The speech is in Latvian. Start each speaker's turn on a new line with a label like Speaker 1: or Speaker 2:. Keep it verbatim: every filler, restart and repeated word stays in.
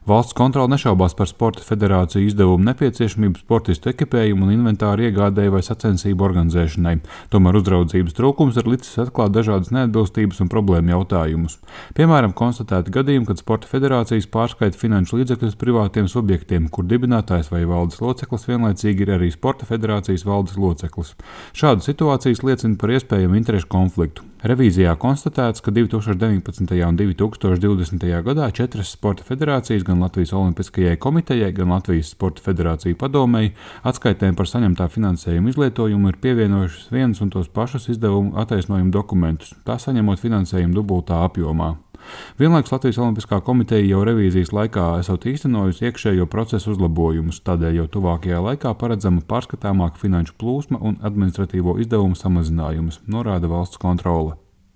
Speaker 1: Valsts kontrole nešaubās par Sporta federāciju izdevumu nepieciešamību sportistu ekipējumu un inventāru iegādēji vai sacensību organizēšanai. Tomēr uzraudzības trūkums ir licis atklāt dažādas neatbilstības un problēmu jautājumus. Piemēram, konstatēti gadījumi, kad Sporta federācijas pārskaita finanšu līdzekļus privātiem subjektiem, kur dibinātājs vai valdes loceklis vienlaicīgi ir arī Sporta federācijas valdes loceklis. Šādas situācijas liecina par iespējamu interešu konfliktu. Revīzijā konstatēts, ka divi tūkstoši deviņpadsmitajā un divi tūkstoši divdesmitajā gadā četras Sporta federācijas, gan Latvijas Olimpiskajai komitejai, gan Latvijas Sporta federāciju padomei, atskaitēm par saņemtā finansējuma izlietojumu ir pievienojušas vienus un tos pašus izdevumu attaisnojumu dokumentus, tā saņemot finansējumu dubultā apjomā. Vienlaikus Latvijas Olimpiskā komiteja jau revīzijas laikā esot īstenojusi iekšējo procesu uzlabojumus, tādēļ jau tuvākajā laikā paredzama pārskatāmāka finanšu plūsma un administratīvo izdevumu samazinājums, norāda valsts kontrole.